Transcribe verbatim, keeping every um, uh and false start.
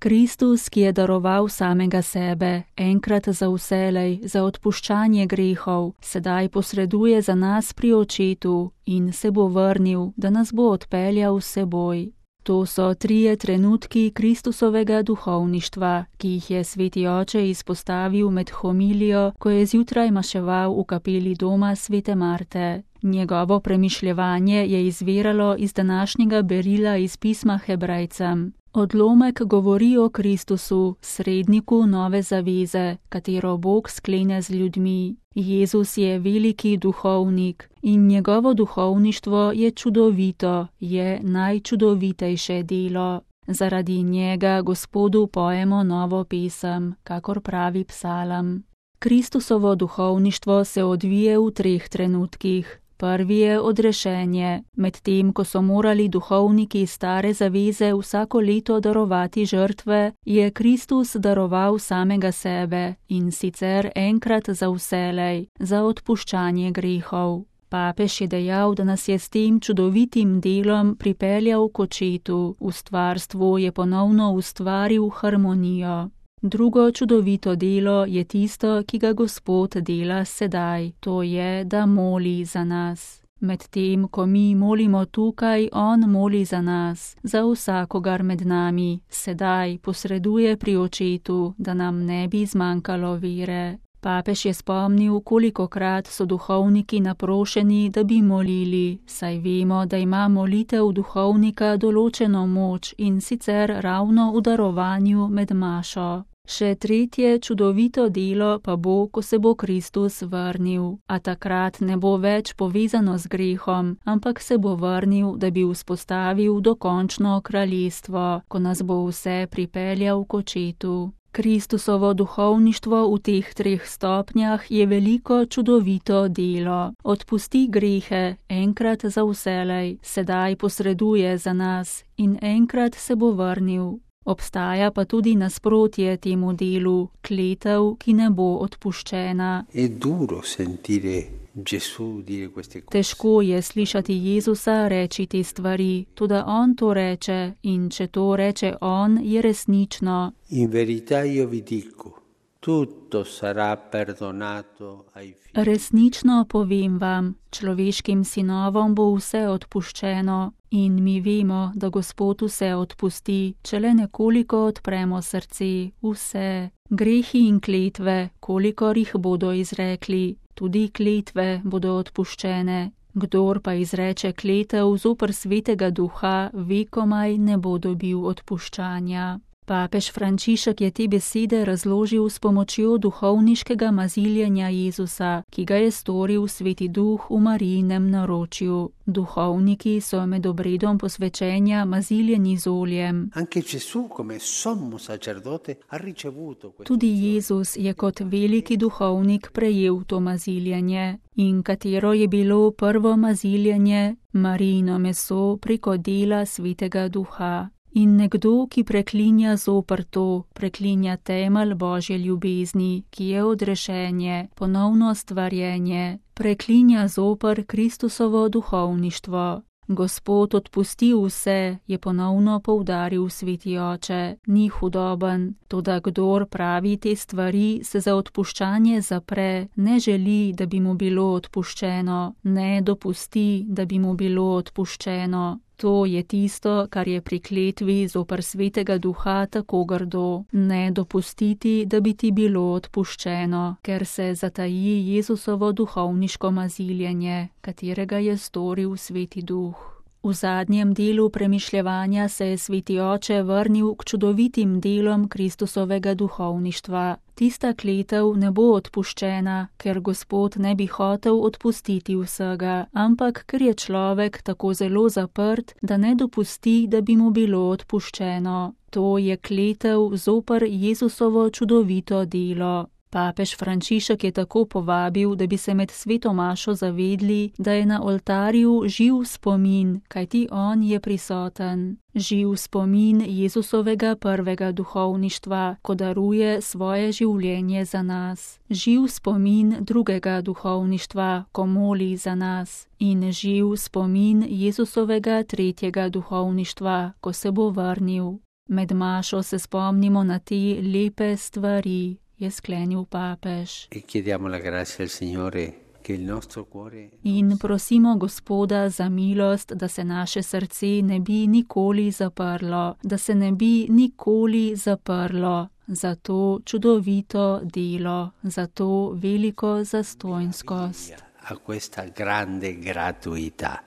Kristus, ki je daroval samega sebe, enkrat za vselej, za odpuščanje grehov, sedaj posreduje za nas pri Očetu in se bo vrnil, da nas bo odpeljal s seboj. To so trije trenutki Kristusovega duhovništva, ki jih je sveti oče izpostavil med homilijo, ko je zjutraj maševal v kapeli doma svete Marte. Njegovo premišljevanje je izviralo iz današnjega berila iz pisma Hebrejcem. Odlomek govori o Kristusu, sredniku nove zaveze, katero Bog sklene z ljudmi. Jezus je veliki duhovnik in njegovo duhovništvo je čudovito, je najčudovitejše delo. Zaradi njega Gospodu pojemo novo pesem, kakor pravi psalam. Kristusovo duhovništvo se odvije v treh trenutkih. Prvi je odrešenje, medtem ko so morali duhovniki stare zaveze vsako leto darovati žrtve, je Kristus daroval samega sebe in sicer enkrat za vselej, za odpuščanje grehov. Papež je dejal, da nas je s tem čudovitim delom pripeljal k Očetu, v stvarstvu je ponovno ustvaril harmonijo. Drugo čudovito delo je tisto, ki ga Gospod dela sedaj, to je, da moli za nas. Medtem, ko mi molimo tukaj, on moli za nas, za vsakogar med nami, sedaj posreduje pri Očetu, da nam ne bi zmanjkalo vere. Papež je spomnil, kolikokrat so duhovniki naprošeni, da bi molili, saj vemo, da ima molitev duhovnika določeno moč in sicer ravno v darovanju med mašo. Še tretje čudovito delo pa bo, ko se bo Kristus vrnil, a takrat ne bo več povezano z grehom, ampak se bo vrnil, da bi vzpostavil dokončno kraljestvo, ko nas bo vse pripeljal k Očetu. Kristusovo duhovništvo v teh treh stopnjah je veliko čudovito delo. Odpusti grehe, enkrat za vselej, sedaj posreduje za nas in enkrat se bo vrnil. Obstaja pa tudi nasprotje temu delu, kletev, ki ne bo odpuščena. Težko je slišati Jezusa reči te stvari, toda on to reče in če to reče on, je resnično. In verità io vi dico, tutto sarà perdonato ai figli. Resnično povem vam, človeškim sinovom bo vse odpuščeno in mi vemo, da Gospod vse odpusti, če le nekoliko odpremo srce, vse. Grehi in kletve, kolikor jih bodo izrekli, tudi kletve bodo odpuščene. Kdor pa izreče kletev zoper svetega duha, vekomaj ne bo dobil odpuščanja. Papež Frančišek je te besede razložil s pomočjo duhovniškega maziljenja Jezusa, ki ga je storil sveti duh v Marijinem naročju. Duhovniki so med obredom posvečenja maziljeni z oljem. Tudi Jezus je kot veliki duhovnik prejel to maziljenje. In katero je bilo prvo maziljenje? Marijino meso preko dela svetega duha. In nekdo, ki preklinja zoper to, preklinja temelj Božje ljubezni, ki je odrešenje, ponovno stvarjenje, preklinja zoper Kristusovo duhovništvo. Gospod odpusti vse, je ponovno poudaril sveti oče, ni hudoben, toda kdor pravi te stvari, se za odpuščanje zapre, ne želi, da bi mu bilo odpuščeno, ne dopusti, da bi mu bilo odpuščeno. To je tisto, kar je pri kletvi zoper svetega duha tako grdo, ne dopustiti, da bi ti bilo odpuščeno, ker se zataji Jezusovo duhovniško maziljenje, katerega je storil sveti duh. V zadnjem delu premišljevanja se je sveti oče vrnil k čudovitim delom Kristusovega duhovništva. Tista kletev ne bo odpuščena, ker Gospod ne bi hotel odpustiti vsega, ampak ker je človek tako zelo zaprt, da ne dopusti, da bi mu bilo odpuščeno. To je kletev zoper Jezusovo čudovito delo. Papež Frančišek je tako povabil, da bi se med sveto mašo zavedli, da je na oltarju živ spomin, kajti on je prisoten. Živ spomin Jezusovega prvega duhovništva, ko daruje svoje življenje za nas. Živ spomin drugega duhovništva, ko moli za nas. In živ spomin Jezusovega tretjega duhovništva, ko se bo vrnil. Med mašo se spomnimo na te lepe stvari, je sklenil papež. E chiediamo la grazia al Signore che il nostro cuore In prosimo Gospoda za milost, da se naše srce ne bi nikoli zaprlo, da se ne bi nikoli zaprlo za to čudovito delo, za to veliko zastojnskost. a questa grande gratuità.